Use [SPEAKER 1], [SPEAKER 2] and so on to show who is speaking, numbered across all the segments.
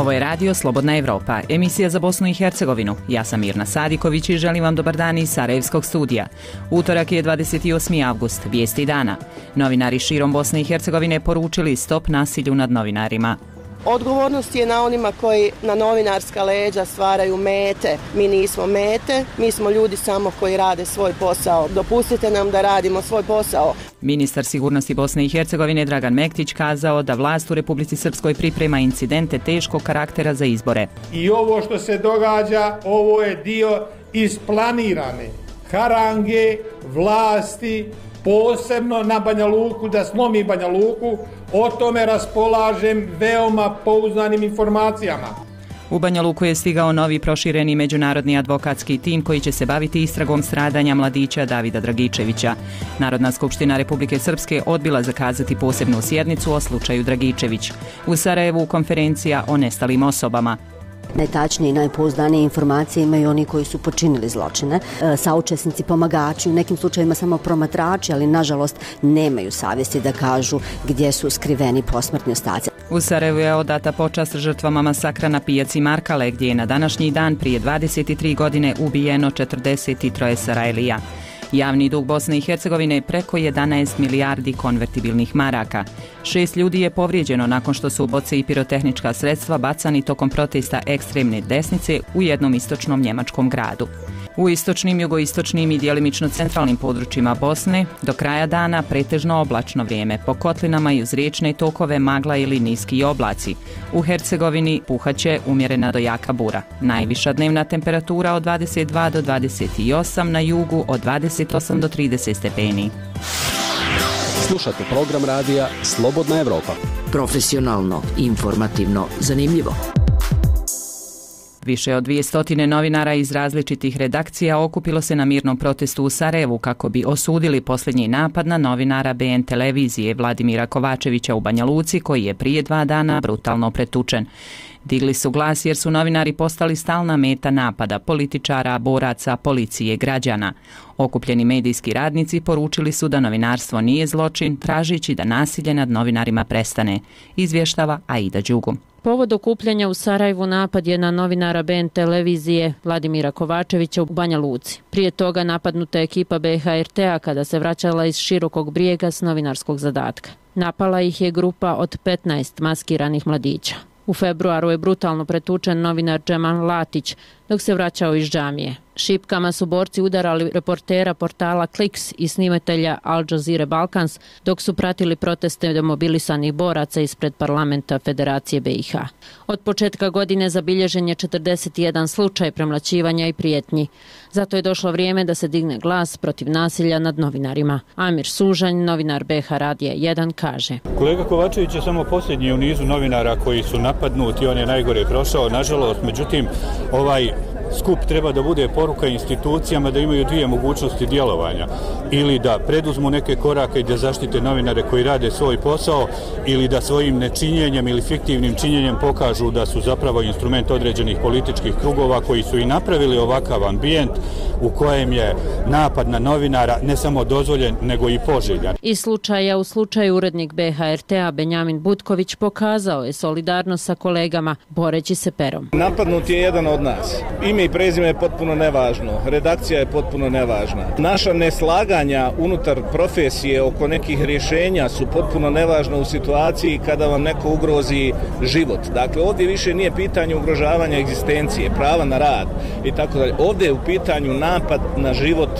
[SPEAKER 1] Ovo je Radio Slobodna Evropa, emisija za Bosnu i Hercegovinu. Ja sam Mirna Sadiković i želim vam dobar dan iz Sarajevskog studija. Utorak je 28. avgust, vijesti dana. Novinari širom Bosne i Hercegovine poručili stop nasilju nad novinarima.
[SPEAKER 2] Odgovornost je na onima koji na novinarska leđa stvaraju mete. Mi nismo mete, mi smo ljudi samo koji rade svoj posao. Dopustite nam da radimo svoj posao.
[SPEAKER 1] Ministar sigurnosti Bosne i Hercegovine Dragan Mektić kazao da vlast u Republici Srpskoj priprema incidente teškog karaktera za izbore.
[SPEAKER 3] I ovo što se događa, ovo je dio isplanirane harange vlasti, posebno na Banja Luku, da slomi Banja Luku. O tome raspolažem veoma pouzdanim informacijama.
[SPEAKER 1] U Banja Luku je stigao novi prošireni međunarodni advokatski tim koji će se baviti istragom stradanja mladića Davida Dragičevića. Narodna skupština Republike Srpske odbila zakazati posebnu sjednicu o slučaju Dragičević. U Sarajevu konferencija o nestalim osobama.
[SPEAKER 4] Najtačnije i najpouzdanije informacije imaju oni koji su počinili zločine, saučesnici, pomagači, u nekim slučajevima samo promatrači, ali nažalost nemaju savjesti da kažu gdje su skriveni posmrtni ostaci.
[SPEAKER 1] U Sarajevu je odata počast žrtvama masakra na pijaci Markale, gdje je na današnji dan prije 23 godine ubijeno 43 Sarajlija. Javni dug Bosne i Hercegovine je preko 11 milijardi konvertibilnih maraka. 6 ljudi je povrijeđeno nakon što su boce i pirotehnička sredstva bacani tokom protesta ekstremne desnice u jednom istočnom njemačkom gradu. U istočnim, jugoistočnim i djelimično centralnim područjima Bosne do kraja dana pretežno oblačno vrijeme, po kotlinama i uz riječne tokove magla ili niski oblaci. U Hercegovini puhaće umjerena do jaka bura. Najviša dnevna temperatura od 22 do 28, na jugu od 28 do 30 stepeni.
[SPEAKER 5] Slušate program radija Slobodna Evropa.
[SPEAKER 6] Profesionalno, informativno, zanimljivo.
[SPEAKER 1] Više od 200 novinara iz različitih redakcija okupilo se na mirnom protestu u Sarajevu kako bi osudili posljednji napad na novinara BN televizije Vladimira Kovačevića u Banja Luci, koji je prije 2 dana brutalno pretučen. Digli su glas jer su novinari postali stalna meta napada političara, boraca, policije, građana. Okupljeni medijski radnici poručili su da novinarstvo nije zločin, tražići da nasilje nad novinarima prestane, izvještava Aida Đugum.
[SPEAKER 7] Povod okupljanja u Sarajevu napad je na novinara BN televizije Vladimira Kovačevića u Banja Luci. Prije toga napadnuta je ekipa BHRT-a kada se vraćala iz Širokog Brijega s novinarskog zadatka. Napala ih je grupa od 15 maskiranih mladića. U februaru je brutalno pretučen novinar Džemal Latić dok se vraćao iz džamije. Šipkama su borci udarali reportera portala Kliks i snimatelja Al Jazeera Balkans dok su pratili proteste demobilisanih boraca ispred parlamenta Federacije BiH. Od početka godine zabilježen je 41 slučaj premlaćivanja i prijetnji. Zato je došlo vrijeme da se digne glas protiv nasilja nad novinarima. Amir Sužanj, novinar BH Radija 1, kaže:
[SPEAKER 8] Kolega Kovačević je samo posljednji u nizu novinara koji su napadnuti, on je najgore prošao, nažalost, međutim, ovaj skup treba da bude poruka institucijama da imaju dvije mogućnosti djelovanja. Ili da preduzmu neke korake i da zaštite novinare koji rade svoj posao, ili da svojim nečinjenjem ili fiktivnim činjenjem pokažu da su zapravo instrument određenih političkih krugova koji su i napravili ovakav ambijent u kojem je napad na novinara ne samo dozvoljen, nego i poželjan.
[SPEAKER 7] Iz slučaja u slučaju urednik BHRT-a Benjamin Butković pokazao je solidarnost sa kolegama boreći se perom.
[SPEAKER 9] Napadnut je jedan od nas. Ime i prezime je potpuno nevažno, redakcija je potpuno nevažna. Naša neslaganja unutar profesije oko nekih rješenja su potpuno nevažna u situaciji kada vam neko ugrozi život. Dakle, ovdje više nije pitanje ugrožavanja egzistencije, prava na rad i tako dalje. Ovdje je u pitanju napad na život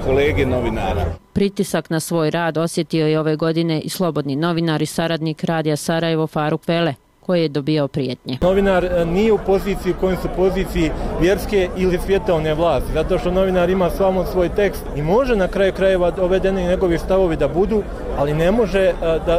[SPEAKER 9] kolege novinara.
[SPEAKER 7] Pritisak na svoj rad osjetio je ove godine i slobodni novinar i saradnik Radija Sarajevo Faruk Pele, koji je dobio prijetnje.
[SPEAKER 10] Novinar nije u poziciji u kojoj su poziciji vjerske ili svjetovne vlasti, zato što novinar ima samo svoj tekst i može na kraju krajeva dovedeni njegovi stavovi da budu, ali ne može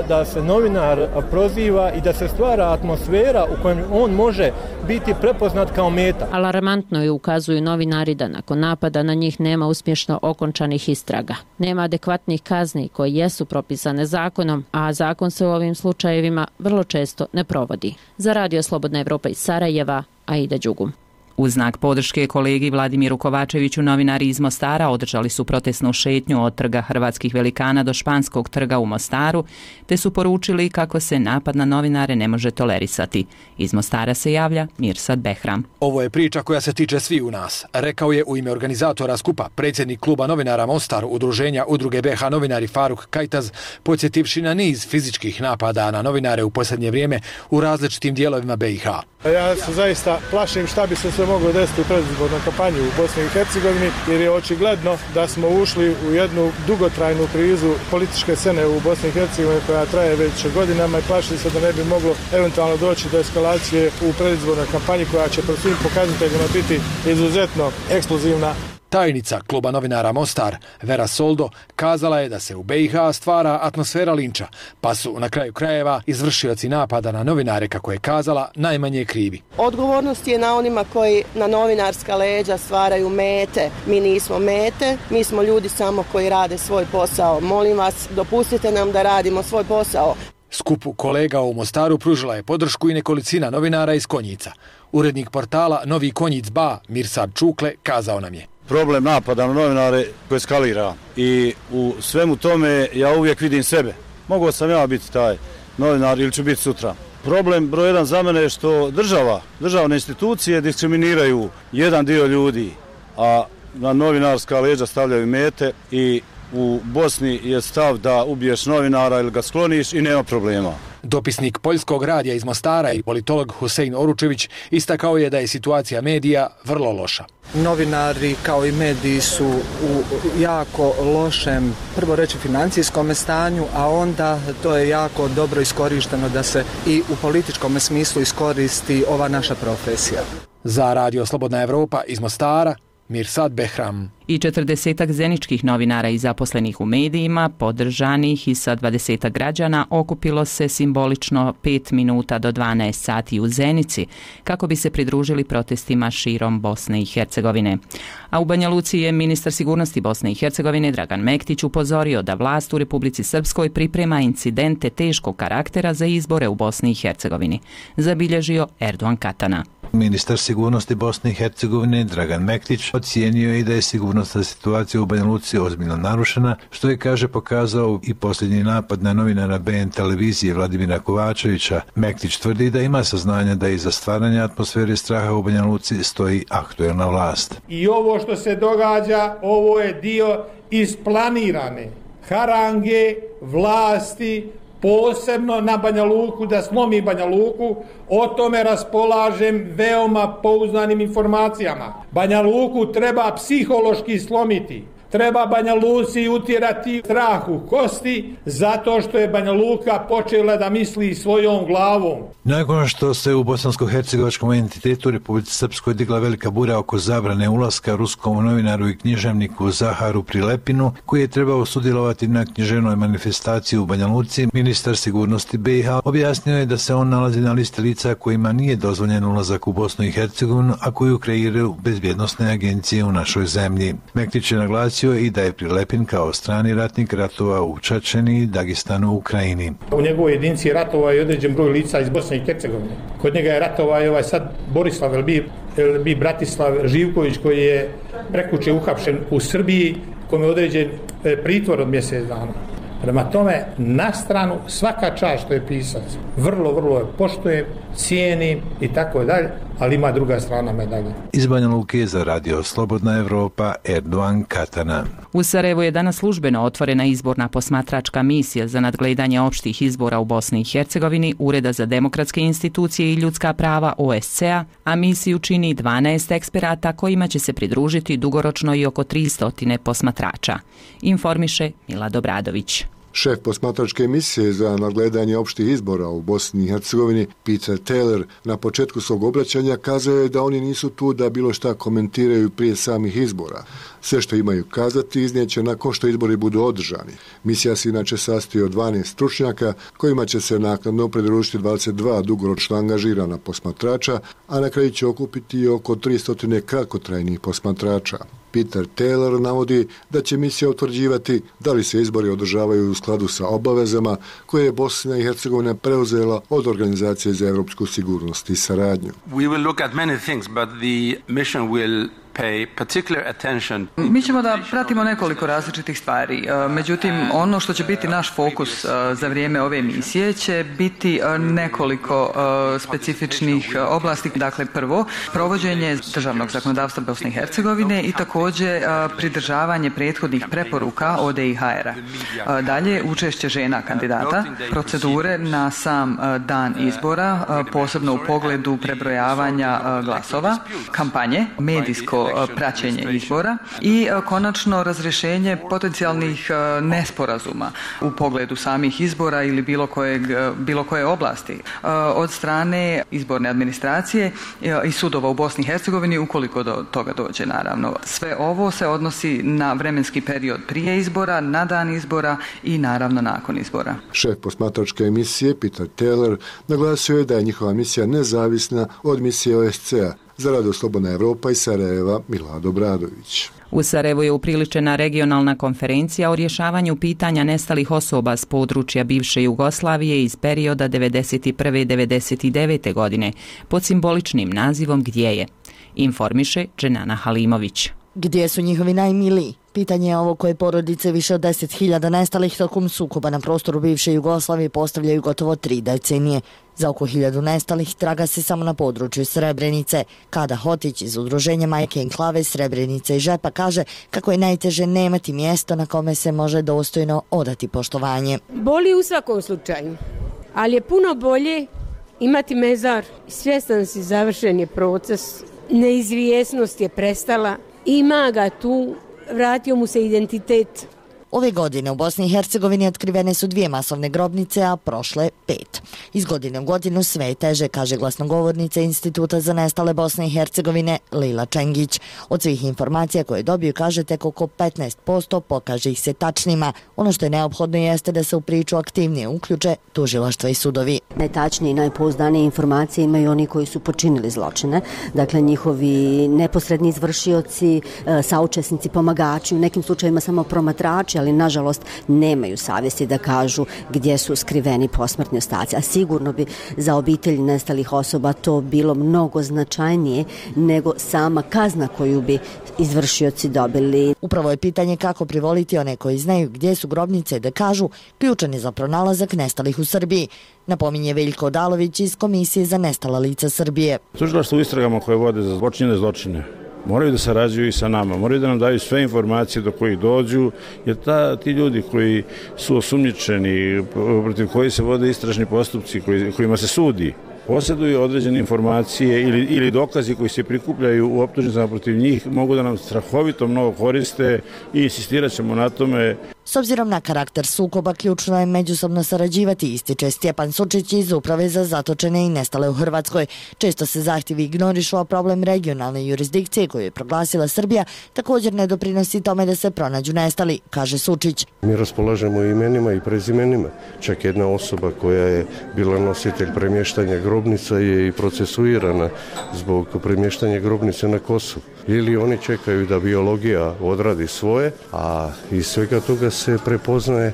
[SPEAKER 10] da se novinar proziva i da se stvara atmosfera u kojem on može biti prepoznat kao meta.
[SPEAKER 7] Alarmantno je, ukazuju novinari, da nakon napada na njih nema uspješno okončanih istraga. Nema adekvatnih kazni koje jesu propisane zakonom, a zakon se u ovim slučajevima vrlo često ne provodi. Za Radio Slobodna Evropa iz Sarajeva, Aida Đugum.
[SPEAKER 1] U znak podrške kolegi Vladimiru Kovačeviću novinari iz Mostara održali su protestnu šetnju od trga Hrvatskih velikana do Španskog trga u Mostaru, te su poručili kako se napad na novinare ne može tolerisati. Iz Mostara se javlja Mirsad Behram.
[SPEAKER 11] Ovo je priča koja se tiče svi u nas, rekao je u ime organizatora skupa predsjednik kluba novinara Mostar udruženja Udruge BH novinari Faruk Kajtaz, podsjetivši na niz fizičkih napada na novinare u posljednje vrijeme u različitim dijelovima BiH.
[SPEAKER 12] Ja se zaista plašim šta bi se sve moglo desiti u predizbornoj kampanji u Bosni i Hercegovini, jer je očigledno da smo ušli u jednu dugotrajnu krizu političke scene u Bosni i Hercegovini koja traje već godinama i plašim se da ne bi moglo eventualno doći do eskalacije u predizbornoj kampanji koja će po svim pokazateljima biti izuzetno eksplozivna.
[SPEAKER 11] Tajnica kluba novinara Mostar, Vera Soldo, kazala je da se u BiH stvara atmosfera linča, pa su na kraju krajeva izvršioci napada na novinare, kako je kazala, najmanje krivi.
[SPEAKER 2] Odgovornost je na onima koji na novinarska leđa stvaraju mete. Mi nismo mete, mi smo ljudi samo koji rade svoj posao. Molim vas, dopustite nam da radimo svoj posao.
[SPEAKER 11] Skupu kolega u Mostaru pružila je podršku i nekolicina novinara iz Konjica. Urednik portala Novi Konjic Ba, Mirsad Čukle, kazao nam je:
[SPEAKER 13] problem napada na novinare koji eskalira i u svemu tome ja uvijek vidim sebe. Mogao sam ja biti taj novinar ili ću biti sutra. Problem broj jedan za mene je što državne institucije diskriminiraju jedan dio ljudi, a na novinarska leđa stavljaju mete i u Bosni je stav da ubiješ novinara ili ga skloniš i nema problema.
[SPEAKER 11] Dopisnik Poljskog radija iz Mostara i politolog Husein Oručević istakao je da je situacija medija vrlo loša.
[SPEAKER 14] Novinari kao i mediji su u jako lošem, prvo reći, financijskom stanju, a onda to je jako dobro iskorišteno da se i u političkom smislu iskoristi ova naša profesija.
[SPEAKER 11] Za Radio Slobodna Evropa iz Mostara, Mirsad Behram.
[SPEAKER 1] I 40 zeničkih novinara i zaposlenih u medijima, podržanih i sa 20 građana, okupilo se simbolično 5 minuta do 12 sati u Zenici kako bi se pridružili protestima širom Bosne i Hercegovine. A u Banja Luci je ministar sigurnosti Bosne i Hercegovine Dragan Mektić upozorio da vlast u Republici Srpskoj priprema incidente teškog karaktera za izbore u Bosni i Hercegovini, zabilježio Erdogan Katana.
[SPEAKER 15] Ministar sigurnosti Bosne i Hercegovine Dragan Mektić ocijenio je da je sigurnosna situacija u Banja Luci ozbiljno narušena, što je, kaže, pokazao i posljednji napad na novinara BN televizije Vladimira Kovačevića. Mektić tvrdi da ima saznanja da iza stvaranja atmosfere straha u Banja Luci stoji aktuelna vlast.
[SPEAKER 3] I ovo što se događa, ovo je dio isplanirane harange vlasti, posebno na Banja Luku, da slomi Banja Luku. O tome raspolažem veoma pouzdanim informacijama. Banja Luku treba psihološki slomiti. Treba Banja Luci utjerati strah u kosti, zato što je Banja Luka počela da misli svojom glavom.
[SPEAKER 15] Nakon što se u bosansko-hercegovačkom entitetu Republici Srpskoj digla velika bura oko zabrane ulaska ruskom novinaru i književniku Zaharu Prilepinu, koji je trebao sudjelovati na književnoj manifestaciji u Banja Luci, ministar sigurnosti BiH objasnio je da se on nalazi na listi lica kojima nije dozvoljen ulazak u Bosnu i Hercegovinu, a koju kreiraju bezbjednosne agencije u našoj zemlji. Mektić je naglasio i da je Prilepin kao strani ratnik ratovao u Čečeni, Dagestanu, Ukrajini.
[SPEAKER 3] U njegovoj jedinici ratovao je određen broj lica iz Bosne i Hercegovine. Kod njega je ratovao i sad Borislav Bratislav Živković, koji je prekuče uhapšen u Srbiji, kome je određen pritvor od mjesec dana. Prema tome, na stranu svaka čast što je pisac. Vrlo je poštujem, cijenim i tako dalje, ali ima druga strana medalje.
[SPEAKER 15] Iz Banja Luke za Radio Slobodna Evropa, Erdogan Katana.
[SPEAKER 1] U Sarajevu je danas službeno otvorena izborna posmatračka misija za nadgledanje opštih izbora u Bosni i Hercegovini Ureda za demokratske institucije i ljudska prava OSCE-a, a misiju čini 12 eksperata kojima će se pridružiti dugoročno i oko 300 posmatrača, informiše Milad Obradović.
[SPEAKER 16] Šef posmatračke misije za nadgledanje opštih izbora u Bosni i Hercegovini, Peter Taylor, na početku svog obraćanja kazao je da oni nisu tu da bilo šta komentiraju prije samih izbora. Sve što imaju kazati iznijeće nakon što izbori budu održani. Misija se inače sastoji od 12 stručnjaka kojima će se naknadno pridružiti 22 dugoročno angažirana posmatrača, a na kraju će okupiti oko 300 kratkotrajnih posmatrača. Peter Taylor navodi da će misija utvrđivati da li se izbori održavaju u skladu sa obavezama koje je Bosna i Hercegovina preuzela od Organizacije za evropsku sigurnost i saradnju.
[SPEAKER 17] We will look at many things, but the mission will pay particular attention.
[SPEAKER 18] Mi ćemo da pratimo nekoliko različitih stvari. Međutim, ono što će biti naš fokus za vrijeme ove misije će biti nekoliko specifičnih oblasti. Dakle, prvo, provođenje državnog zakonodavstva Bosne i Hercegovine i također pridržavanje prethodnih preporuka ODIHR-a. Dalje, učešće žena kandidata, procedure na sam dan izbora, posebno u pogledu prebrojavanja glasova, kampanje, medijsko praćenje izbora i konačno razrješenje potencijalnih nesporazuma u pogledu samih izbora ili bilo koje oblasti od strane izborne administracije i sudova u Bosni i Hercegovini ukoliko do toga dođe, naravno. Sve ovo se odnosi na vremenski period prije izbora, na dan izbora i naravno nakon izbora.
[SPEAKER 16] Šef posmatračke emisije Peter Taylor naglasio je da je njihova misija nezavisna od misije OSCE-a za Radio Slobodna Evropa iz Sarajeva Milado Bradović.
[SPEAKER 1] U Sarajevu je upriličena regionalna konferencija o rješavanju pitanja nestalih osoba s područja bivše Jugoslavije iz perioda 1991-1999. godine pod simboličnim nazivom Gdje je? Informiše Dženana Halimović.
[SPEAKER 19] Gdje su njihovi najmiliji? Pitanje je ovo koje porodice više od 10.000 nestalih tokom sukoba na prostoru bivše Jugoslavije postavljaju gotovo 3 decenije. Za oko 1000 nestalih traga se samo na području Srebrenice. Kada Hotić iz udruženja Majke Enklave Srebrenice i Žepa kaže kako je najteže nemati mjesto na kome se može dostojno odati poštovanje.
[SPEAKER 20] Boli u svakom slučaju, ali je puno bolje imati mezar. Svjestan si, završen je proces, neizvjesnost je prestala, ima ga tu, vratio mu se identitet.
[SPEAKER 19] Ove godine u Bosni i Hercegovini otkrivene su 2 masovne grobnice, a prošle 5. Iz godine u godinu sve je teže, kaže glasnogovornica Instituta za nestale Bosne i Hercegovine Lila Čengić. Od svih informacija koje dobiju, kaže, tek oko 15% pokaže ih se tačnima. Ono što je neophodno jeste da se u priču aktivnije uključe tužilaštva i sudovi.
[SPEAKER 4] Najtačnije i najpouzdanije informacije imaju oni koji su počinili zločine. Dakle, njihovi neposredni izvršioci, saučesnici, pomagači, u nekim slučajevima samo promatrači, ali nažalost nemaju savjesti da kažu gdje su skriveni posmrtni ostaci. A sigurno bi za obitelji nestalih osoba to bilo mnogo značajnije nego sama kazna koju bi izvršioci dobili.
[SPEAKER 19] Upravo je pitanje kako privoliti one koji znaju gdje su grobnice da kažu ključan je za pronalazak nestalih u Srbiji. Napominje Veljko Odalović iz Komisije za nestala lica Srbije.
[SPEAKER 21] Tužilaštvo u istragama koje vode za počinjene zločine moraju da sarađuju i sa nama, moraju da nam daju sve informacije do kojih dođu, jer ti ljudi koji su osumnjičeni, protiv koji se vode istražni postupci, kojima se sudi, posjeduju određene informacije ili dokazi koji se prikupljaju u optužnicama protiv njih, mogu da nam strahovito mnogo koriste i insistirat ćemo na tome.
[SPEAKER 19] S obzirom na karakter sukoba, ključno je međusobno sarađivati, ističe Stjepan Sučić iz Uprave za zatočene i nestale u Hrvatskoj. Često se zahtjevi ignorišu, a problem regionalne jurisdikcije koju je proglasila Srbija također ne doprinosi tome da se pronađu nestali, kaže Sučić.
[SPEAKER 22] Mi raspolažemo imenima i prezimenima. Čak jedna osoba koja je bila nositelj premještanja grobnica je i procesuirana zbog premještanja grobnice na Kosovu. Ili oni čekaju da biologija odradi svoje, a iz svega toga se prepoznaje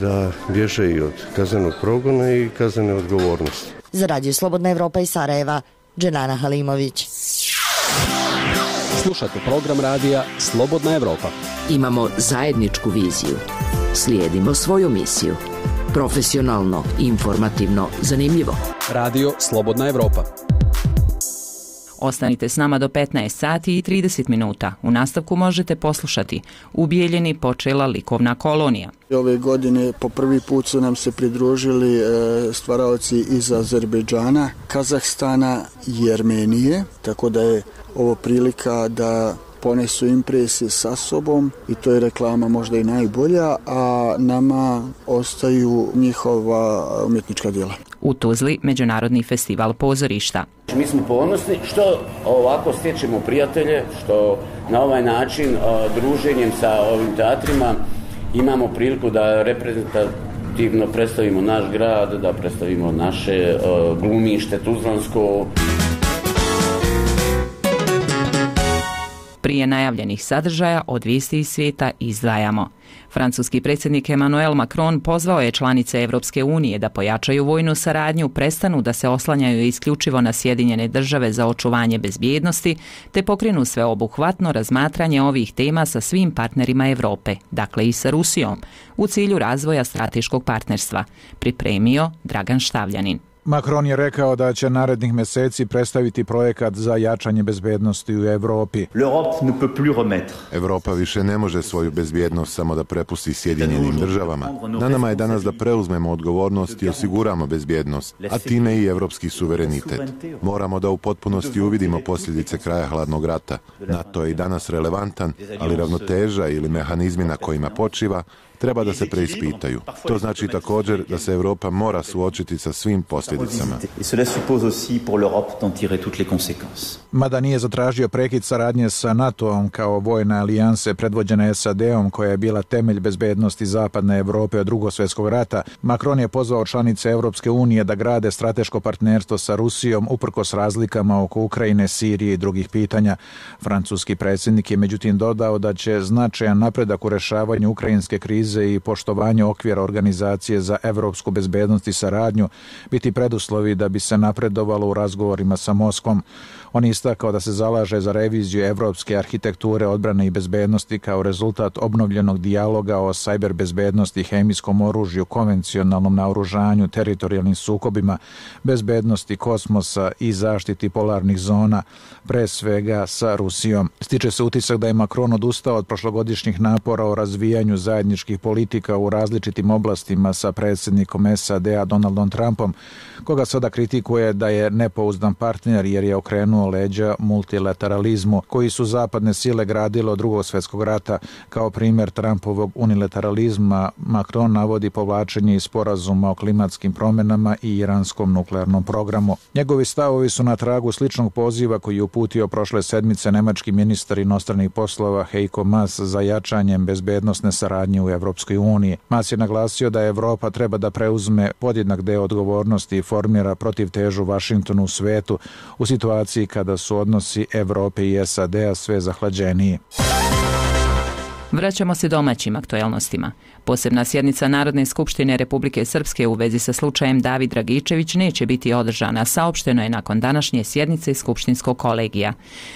[SPEAKER 22] da bježe i od kaznenog progona i kaznene odgovornosti.
[SPEAKER 19] Za Radio Slobodna Evropa iz Sarajeva, Dženana Halimović.
[SPEAKER 5] Slušajte program radija Slobodna Evropa.
[SPEAKER 6] Imamo zajedničku viziju. Slijedimo svoju misiju. Profesionalno, informativno, zanimljivo.
[SPEAKER 5] Radio Slobodna Evropa.
[SPEAKER 1] Ostanite s nama do 15 sati i 30 minuta. U nastavku možete poslušati U Bijeljini počela likovna kolonija.
[SPEAKER 23] Ove godine po prvi put su nam se pridružili stvaraoci iz Azerbejdžana, Kazahstana i Armenije, tako da je ovo prilika da ponesu impresije sa sobom i to je reklama možda i najbolja, a nama ostaju njihova umjetnička djela.
[SPEAKER 1] U Tuzli Međunarodni festival pozorišta.
[SPEAKER 24] Mi smo ponosni što ovako stječemo prijatelje, što na ovaj način druženjem sa ovim teatrima imamo priliku da reprezentativno predstavimo naš grad, da predstavimo naše glumište tuzlansko.
[SPEAKER 1] Prije najavljenih sadržaja od vijesti iz svijeta izdvajamo. Francuski predsjednik Emmanuel Macron pozvao je članice Europske unije da pojačaju vojnu saradnju, prestanu da se oslanjaju isključivo na Sjedinjene države za očuvanje bezbjednosti, te pokrenu sveobuhvatno razmatranje ovih tema sa svim partnerima Europe, dakle i sa Rusijom, u cilju razvoja strateškog partnerstva, pripremio Dragan Štavljanin.
[SPEAKER 7] Macron je rekao da će narednih mjeseci predstaviti projekat za jačanje bezbjednosti u Europi.
[SPEAKER 8] Europa više ne može svoju bezbjednost samo da prepusti Sjedinjenim državama. Na nama je danas da preuzmemo odgovornost i osiguramo bezbjednost, a time i evropski suverenitet. Moramo da u potpunosti uvidimo posljedice kraja hladnog rata. NATO je i danas relevantan, ali ravnoteža ili mehanizmi na kojima počiva treba da se preispitaju. To znači također da se Europa mora suočiti sa svim posljedicama.
[SPEAKER 7] Mada nije zatražio prekid saradnje sa NATO-om kao vojne alijanse predvođene SAD-om koja je bila temelj bezbednosti zapadne Europe od Drugog svjetskog rata, Macron je pozvao članice Europske unije da grade strateško partnerstvo sa Rusijom uprkos razlikama oko Ukrajine, Sirije i drugih pitanja. Francuski predsjednik je međutim dodao da će značajan napredak u rješavanju ukrajinske krize i poštovanje okvira Organizacije za evropsku bezbednost i saradnju biti preduslovi da bi se napredovalo u razgovorima sa Moskvom. On je istakao da se zalaže za reviziju evropske arhitekture odbrane i bezbednosti kao rezultat obnovljenog dijaloga o sajber bezbednosti, hemijskom oružju, konvencionalnom naoružanju, teritorijalnim sukobima, bezbednosti kosmosa i zaštiti polarnih zona, pre svega sa Rusijom. Stiče se utisak da je Macron odustao od prošlogodišnjih napora o razvijanju zajedničkih politika u različitim oblastima sa predsjednikom SAD-a Donaldom Trumpom, koga sada kritikuje da je nepouzdan partner jer je okrenuo leđa multilateralizmu koji su zapadne sile gradile od Drugog svjetskog rata. Kao primjer Trumpovog unilateralizma Macron navodi povlačenje iz sporazuma o klimatskim promjenama i iranskom nuklearnom programu. Njegovi stavovi su na tragu sličnog poziva koji je uputio prošle sedmice nemački ministar inostranih poslova Heiko Maas za jačanjem bezbednosne saradnje u Evropskoj uniji. Maas je naglasio da Evropa treba da preuzme podjednak deo odgovornosti i formira protivtežu Vašingtonu u svetu u situaciji kada su odnosi Evrope i SAD-a sve zahlađeniji.
[SPEAKER 1] Vraćamo se domaćim aktuelnostima. Posebna sjednica Narodne skupštine Republike Srpske u vezi sa slučajem David Dragičević neće biti održana, saopšteno je nakon današnje sjednice skupštinskog kolegija.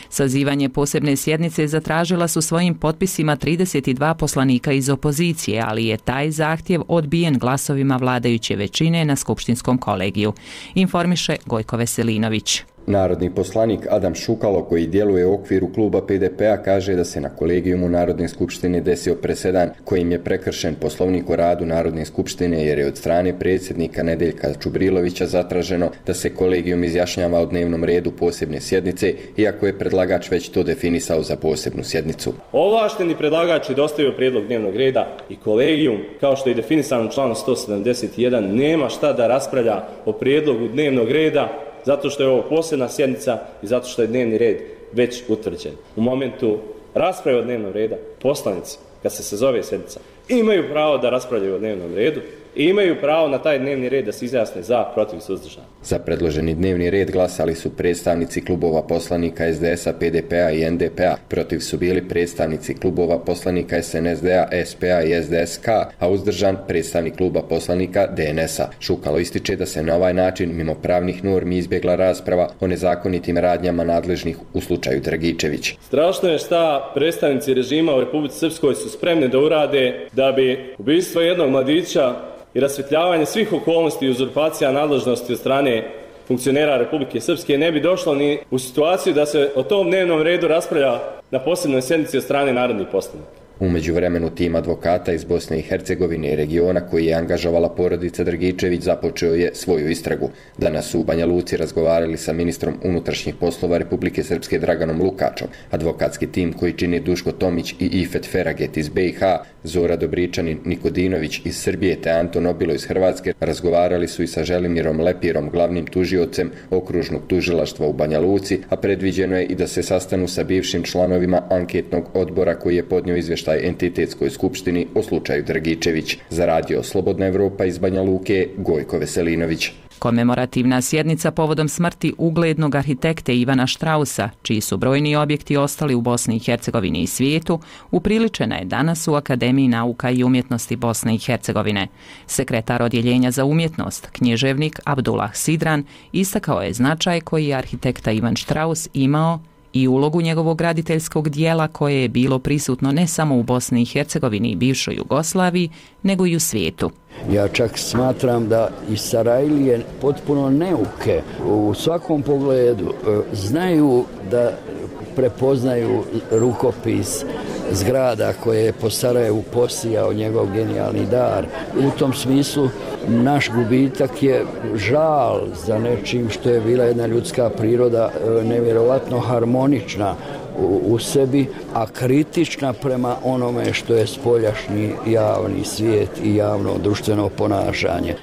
[SPEAKER 1] Sazivanje posebne sjednice zatražila su svojim potpisima 32 poslanika iz opozicije, ali je taj zahtjev odbijen glasovima vladajuće većine na skupštinskom kolegiju, informiše Gojko Veselinović.
[SPEAKER 9] Narodni poslanik Adam Šukalo, koji djeluje u okviru kluba PDP-a, kaže da se na kolegijumu Narodne skupštine desio presedan kojim je prekršen Poslovnik o radu Narodne skupštine jer je od strane predsjednika Nedeljka Čubrilovića zatraženo da se kolegijum izjašnjava o dnevnom redu posebne sjednice, iako je predlagač već to definisao za posebnu sjednicu.
[SPEAKER 10] Ovlašteni predlagač je dostavio prijedlog dnevnog reda i kolegijum, kao što je definisano u članu 171, nema šta da raspravlja o prijedlogu dnevnog reda zato što je ovo posebna sjednica i zato što je dnevni red već utvrđen. U momentu rasprave o dnevnom reda poslanici, kad se sazove sjednica, imaju pravo da raspravljaju o dnevnom redu i imaju pravo na taj dnevni red da se izjasne za, protiv, suzdržan.
[SPEAKER 9] Za predloženi dnevni red glasali su predstavnici klubova poslanika SDS-a, PDP-a i NDP-a. Protiv su bili predstavnici klubova poslanika SNSD-a, SP-a i SDS-K, a uzdržan predstavnik kluba poslanika DNS-a. Šukalo ističe da se na ovaj način, mimo pravnih normi, izbjegla rasprava o nezakonitim radnjama nadležnih u slučaju Dragičević.
[SPEAKER 10] Strašno je šta predstavnici režima u Republici Srpskoj su spremni da urade da bi ubistvo jednog mladića i rasvjetljavanje svih okolnosti i uzurpacija nadležnosti od strane funkcionera Republike Srpske ne bi došlo ni u situaciju da se o tom dnevnom redu raspravlja na posebnoj sjednici od strane narodnih poslanika.
[SPEAKER 9] U međuvremenu tim advokata iz Bosne i Hercegovine i regiona koji je angažovala porodica Dragičević započeo je svoju istragu. Danas su u Banja Luci razgovarali sa ministrom unutrašnjih poslova Republike Srpske Draganom Lukačom. Advokatski tim koji čini Duško Tomić i Ifet Feraget iz BiH, Zora Dobričanin Nikodinović iz Srbije te Anton Obilo iz Hrvatske razgovarali su i sa Želimirom Lepirom, glavnim tužiocem okružnog tužilaštva u Banja Luci, a predviđeno je i da se sastanu sa bivšim članovima anketnog odbora koji je podnio izvještaj Entitetskoj skupštini o slučaju Dragičević. Za radio Slobodna Evropa iz Banja Luke, Gojko Veselinović.
[SPEAKER 1] Komemorativna sjednica povodom smrti uglednog arhitekte Ivana Štrausa, čiji su brojni objekti ostali u Bosni i Hercegovini i svijetu, upriličena je danas u Akademiji nauka i umjetnosti Bosne i Hercegovine. Sekretar odjeljenja za umjetnost, književnik Abdullah Sidran, istakao je značaj koji je arhitekta Ivan Štraus imao i ulogu njegovog graditeljskog dijela koje je bilo prisutno ne samo u Bosni i Hercegovini i bivšoj Jugoslaviji, nego i u svijetu.
[SPEAKER 2] Ja čak smatram da i Sarajlije potpuno neuke u svakom pogledu znaju da prepoznaju rukopis zgrada koje je po Sarajevu posijao njegov genijalni dar. U tom smislu naš gubitak je žal za nečim što je bila jedna ljudska priroda nevjerovatno harmonična u sebi, a kritična prema onome što je spoljašnji javni svijet i javno društveno ponašanje.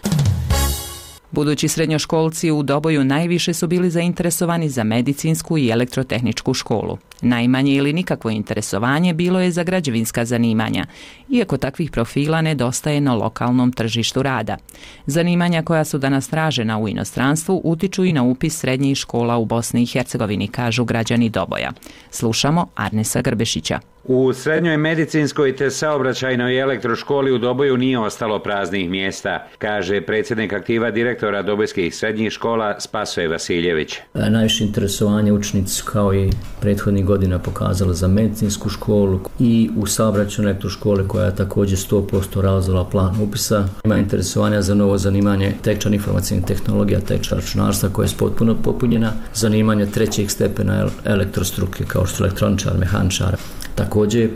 [SPEAKER 1] Budući srednjoškolci u Doboju najviše su bili zainteresovani za medicinsku i elektrotehničku školu. Najmanje ili nikakvo interesovanje bilo je za građevinska zanimanja, iako takvih profila nedostaje na lokalnom tržištu rada. Zanimanja koja su danas tražena u inostranstvu utiču i na upis srednjih škola u Bosni i Hercegovini, kažu građani Doboja. Slušamo Arnesa Grbešića.
[SPEAKER 12] U srednjoj medicinskoj te saobraćajnoj elektroškoli u Doboju nije ostalo praznih mjesta, kaže predsjednik aktiva direktora dobojskih srednjih škola Spasoje Vasiljević.
[SPEAKER 13] Najviše interesovanje učenici kao i prethodnih godina pokazala za medicinsku školu i u saobraćajnoj elektroškoli koja je također 100% realizovala plan upisa. Ima interesovanja za novo zanimanje tečan informacijnih tehnologija, tečan računarstva koja je potpuno popunjena, zanimanje trećeg stepena elektrostruke kao što su elektroničar, mehaničar. Također je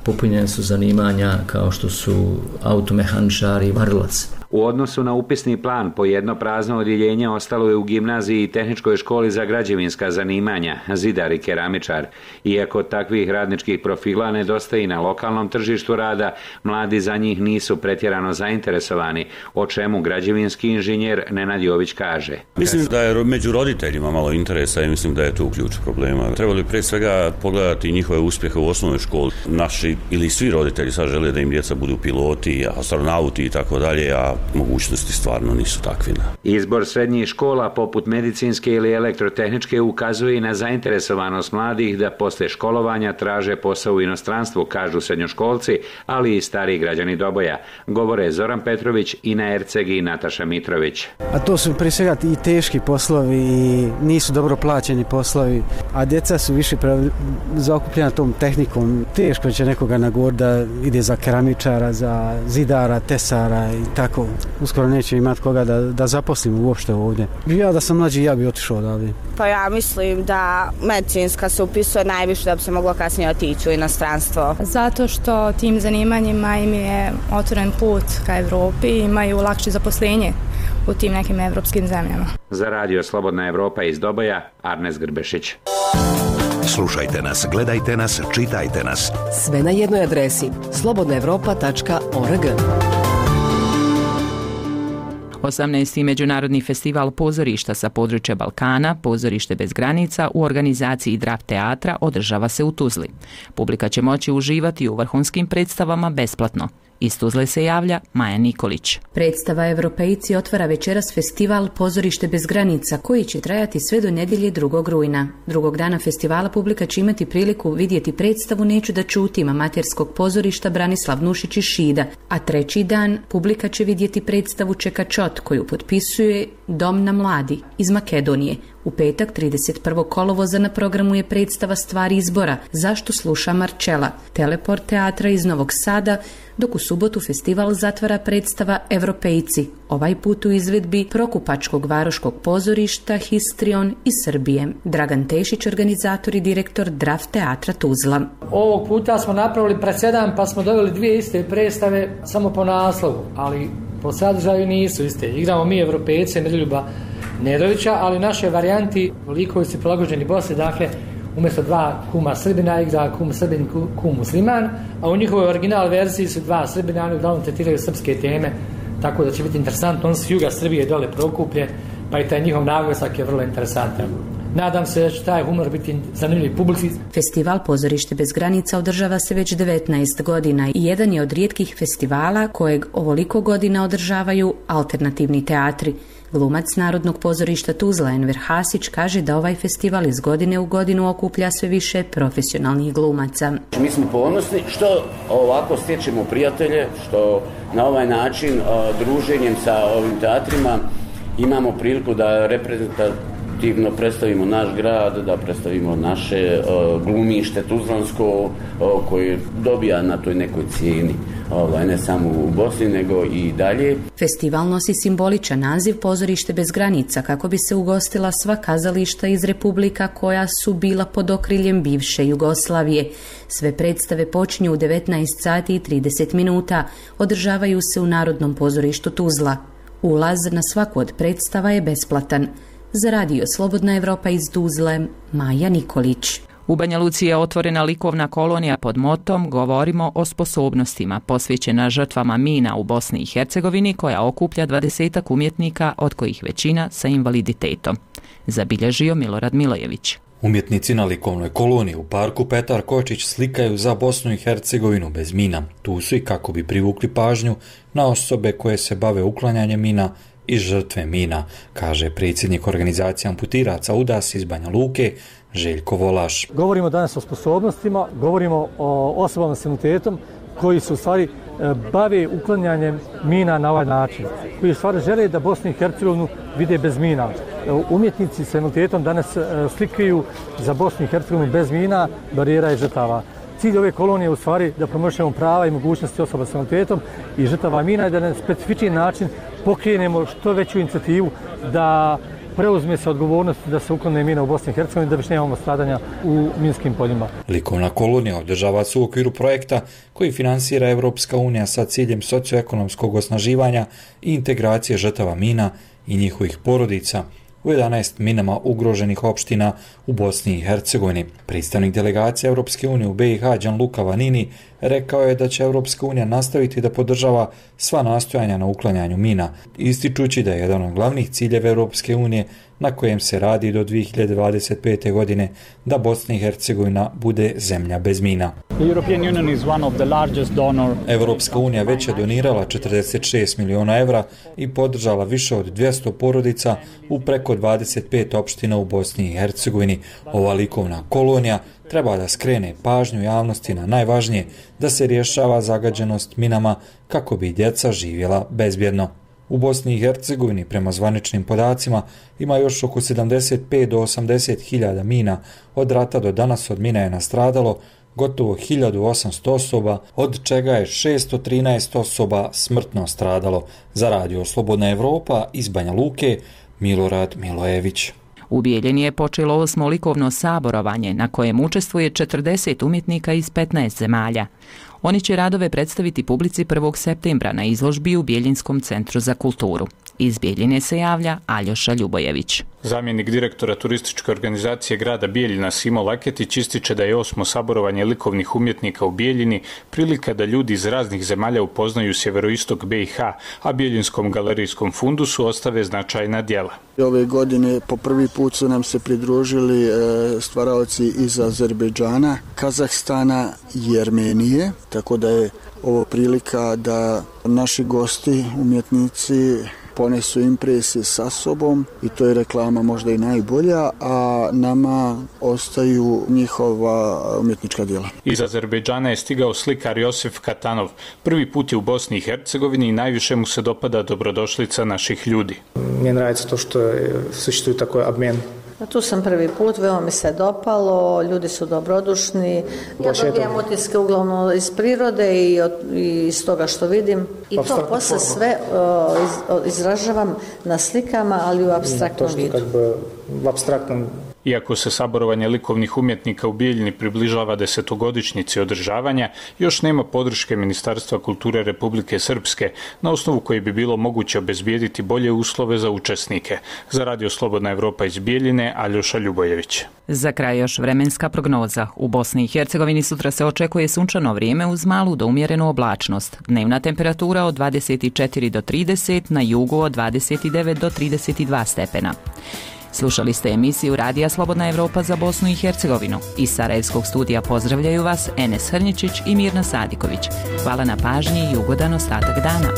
[SPEAKER 13] popunjene su zanimanja kao što su automehaničar i varilac.
[SPEAKER 12] U odnosu na upisni plan, po jedno prazno odjeljenje ostalo je u gimnaziji i tehničkoj školi za građevinska zanimanja, zidar i keramičar. Iako takvih radničkih profila nedostaje i na lokalnom tržištu rada, mladi za njih nisu pretjerano zainteresovani, o čemu građevinski inženjer Nenad Jović kaže.
[SPEAKER 14] Mislim da je među roditeljima malo interesa i mislim da je tu ključ problema. Trebali prije svega pogledati njihove uspjehe u osnovnoj školi. Naši ili svi roditelji sad žele da im djeca budu piloti, astronauti i tako dalje, a mogućnosti stvarno nisu takvine.
[SPEAKER 12] Izbor srednjih škola poput medicinske ili elektrotehničke ukazuje i na zainteresovanost mladih da posle školovanja traže posao u inostranstvu, kažu srednjoškolci, ali i stariji građani Doboja. Govore Zoran Petrović, Ina Erceg i Nataša Mitrović.
[SPEAKER 25] A to su prije svega i teški poslovi i nisu dobro plaćeni poslovi, a djeca su više zaokupljena tom tehnikom. Teško će nekoga nagovoriti da ide za keramičara, za zidara, tesara i tako. Uskoro neće imati koga da zaposlimo uopšte ovdje. Ja da sam mlađi, ja bi otišao odavde.
[SPEAKER 26] Pa ja mislim da medicinska se upisuje najviše da bi se moglo kasnije otići u inostranstvo.
[SPEAKER 27] Zato što tim zanimanjima im je otvoren put ka Evropi i imaju lakše zaposlenje u tim nekim evropskim zemljama.
[SPEAKER 12] Za radio Slobodna Evropa iz Doboja, Arnes Grbešić.
[SPEAKER 28] Slušajte nas, gledajte nas, čitajte nas.
[SPEAKER 29] Sve na jednoj adresi slobodnaevropa.org.
[SPEAKER 1] 18. Međunarodni festival pozorišta sa područja Balkana, Pozorište bez granica, u organizaciji Draft teatra održava se u Tuzli. Publika će moći uživati u vrhunskim predstavama besplatno. Iz Tuzle se javlja Maja Nikolić.
[SPEAKER 30] Predstava Evropejci otvara večeras festival Pozorište bez granica koji će trajati sve do nedjelje 2. rujna. Drugog dana festivala publika će imati priliku vidjeti predstavu Neću da čutim amaterskog pozorišta Branislav Nušić iz Šida, a treći dan publika će vidjeti predstavu Čeka Čot koju potpisuje Dom na mladi iz Makedonije. U petak 31. kolovoza na programu je predstava Stvari izbora, Zašto sluša Marčela, Teleport teatra iz Novog Sada, dok u subotu festival zatvara predstava Evropejci, ovaj put u izvedbi Prokupačkog varoškog pozorišta Histrion iz Srbije. Dragan Tešić, organizator i direktor Draft teatra Tuzla.
[SPEAKER 31] Ovog puta smo napravili presedan pa smo doveli dvije iste predstave samo po naslovu, ali po sadržaju nisu iste. Igramo mi Evropejce, Miroljuba Nedovića, ali u našoj varijanti likovi su prilagođeni Bosni, dakle umjesto dva kuma Srbina igra kum Srbin, kum Musliman, a u njihovoj original verziji su dva Srbina, oni uglavnom tretiraju srpske teme, tako da će biti interesantno. On su juga Srbije dole Prokuplje, pa i taj njihov naglasak je vrlo interesantan. Nadam se da će taj humor biti zanimljiv publici.
[SPEAKER 30] Festival Pozorište bez granica održava se već 19 godina i jedan je od rijetkih festivala kojeg ovoliko godina održavaju alternativni teatri. Glumac Narodnog pozorišta Tuzla Enver Hasić kaže da ovaj festival iz godine u godinu okuplja sve više profesionalnih glumaca.
[SPEAKER 24] Mi smo ponosni što ovako stječemo prijatelje, što na ovaj način druženjem sa ovim teatrima imamo priliku da reprezentativno predstavimo naš grad, da predstavimo naše glumište tuzlansko koje dobija na toj nekoj cijeni, ne samo u Bosni nego i dalje.
[SPEAKER 30] Festival nosi simboličan naziv Pozorište bez granica kako bi se ugostila sva kazališta iz republika koja su bila pod okriljem bivše Jugoslavije. Sve predstave počinju u 19 sati i 30 minuta, održavaju se u Narodnom pozorištu Tuzla. Ulaz na svaku od predstava je besplatan. Za radio Slobodna Evropa iz Tuzle, Maja Nikolić.
[SPEAKER 1] U Banja Luci je otvorena likovna kolonija pod motom Govorimo o sposobnostima, posvećena žrtvama mina u Bosni i Hercegovini, koja okuplja 20 umjetnika, od kojih većina sa invaliditetom. Zabilježio Milorad Milojević.
[SPEAKER 3] Umjetnici na likovnoj koloniji u parku Petar Kočić slikaju za Bosnu i Hercegovinu bez mina. Tu su i kako bi privukli pažnju na osobe koje se bave uklanjanjem mina i žrtve mina, kaže predsjednik organizacije amputiraca UDAS iz Banja Luke, Željko Volaš.
[SPEAKER 31] Govorimo danas o sposobnostima, govorimo o osobama s invaliditetom koji se u stvari bave uklanjanjem mina na ovaj način, koji u stvari žele da Bosnu i Hercegovinu vide bez mina. Umjetnici s invaliditetom danas slikaju za Bosnu i Hercegovinu bez mina, barijera i žrtava. Cilj ove kolonije je u stvari da promoviramo prava i mogućnosti osoba s invaliditetom i žrtava mina i da na specifičan način pokrenemo što veću inicijativu da preuzme se odgovornost da se uklone mina u Bosni i Hercegovini da više nemamo stradanja u minskim poljima.
[SPEAKER 3] Likovna kolonija održava se u okviru projekta koji finansira Evropska unija sa ciljem socioekonomskog osnaživanja i integracije žrtava mina i njihovih porodica u 11 minama ugroženih opština u Bosni i Hercegovini. Predstavnik delegacije Evropske unije u BiH Gianluca Vanini rekao je da će Evropska unija nastaviti da podržava sva nastojanja na uklanjanju mina, ističući da je jedan od glavnih ciljeva Evropske unije na kojem se radi do 2025. godine da Bosna i Hercegovina bude zemlja bez mina. Evropska unija već je donirala 46 miliona evra i podržala više od 200 porodica u preko 25 opština u Bosni i Hercegovini. Ova likovna kolonija treba da skrene pažnju javnosti na najvažnije, da se rješava zagađenost minama kako bi djeca živjela bezbjedno. U Bosni i Hercegovini, prema zvaničnim podacima, ima još oko 75 do 80 hiljada mina. Od rata do danas od mina je nastradalo gotovo 1800 osoba, od čega je 613 osoba smrtno stradalo. Za radio Slobodna Evropa iz Banja Luke, Milorad Milojević.
[SPEAKER 1] U Bijeljini je počelo 8. likovno saborovanje na kojem učestvuje 40 umjetnika iz 15 zemalja. Oni će radove predstaviti publici 1. septembra na izložbi u Bijeljinskom centru za kulturu. Iz Bijeljine se javlja Aljoša Ljubojević.
[SPEAKER 4] Zamjenik direktora turističke organizacije grada Bijeljina Simo Laketić ističe da je 8. saborovanje likovnih umjetnika u Bijeljini prilika da ljudi iz raznih zemalja upoznaju sjeveroistok BiH, a Bijeljinskom galerijskom fundusu ostave značajna djela.
[SPEAKER 23] Ove godine po prvi put su nam se pridružili stvaraoci iz Azerbejdžana, Kazahstana i Armenije, tako da je ovo prilika da naši gosti, umjetnici, ponesu impresije sa sobom i to je reklama možda i najbolja, a nama ostaju njihova umjetnička djela.
[SPEAKER 4] Iz Azerbejdžana je stigao slikar Josef Katanov. Prvi put je u Bosni i Hercegovini i najviše mu se dopada dobrodošlica naših ljudi.
[SPEAKER 11] Meni nравится to što существует такой обмен.
[SPEAKER 15] Tu sam prvi put, veoma mi se dopalo, ljudi su dobrodušni. Ja dobijem utiske uglavnom iz prirode i iz toga što vidim. I to posle sve izražavam na slikama, ali u apstraktnom vidu.
[SPEAKER 4] Iako se saborovanje likovnih umjetnika u Bijeljini približava 10-godišnjici održavanja, još nema podrške Ministarstva kulture Republike Srpske, na osnovu koje bi bilo moguće obezbijediti bolje uslove za učesnike. Za radio Slobodna Evropa iz Bijeljine, Aljoša Ljubojević.
[SPEAKER 1] Za kraj još vremenska prognoza. U Bosni i Hercegovini sutra se očekuje sunčano vrijeme uz malu do umjerenu oblačnost. Dnevna temperatura od 24 do 30, na jugu od 29 do 32 stepena. Slušali ste emisiju Radija Slobodna Evropa za Bosnu i Hercegovinu. Iz Sarajevskog studija pozdravljaju vas Enes Hrnječić i Mirna Sadiković. Hvala na pažnji i ugodan ostatak dana.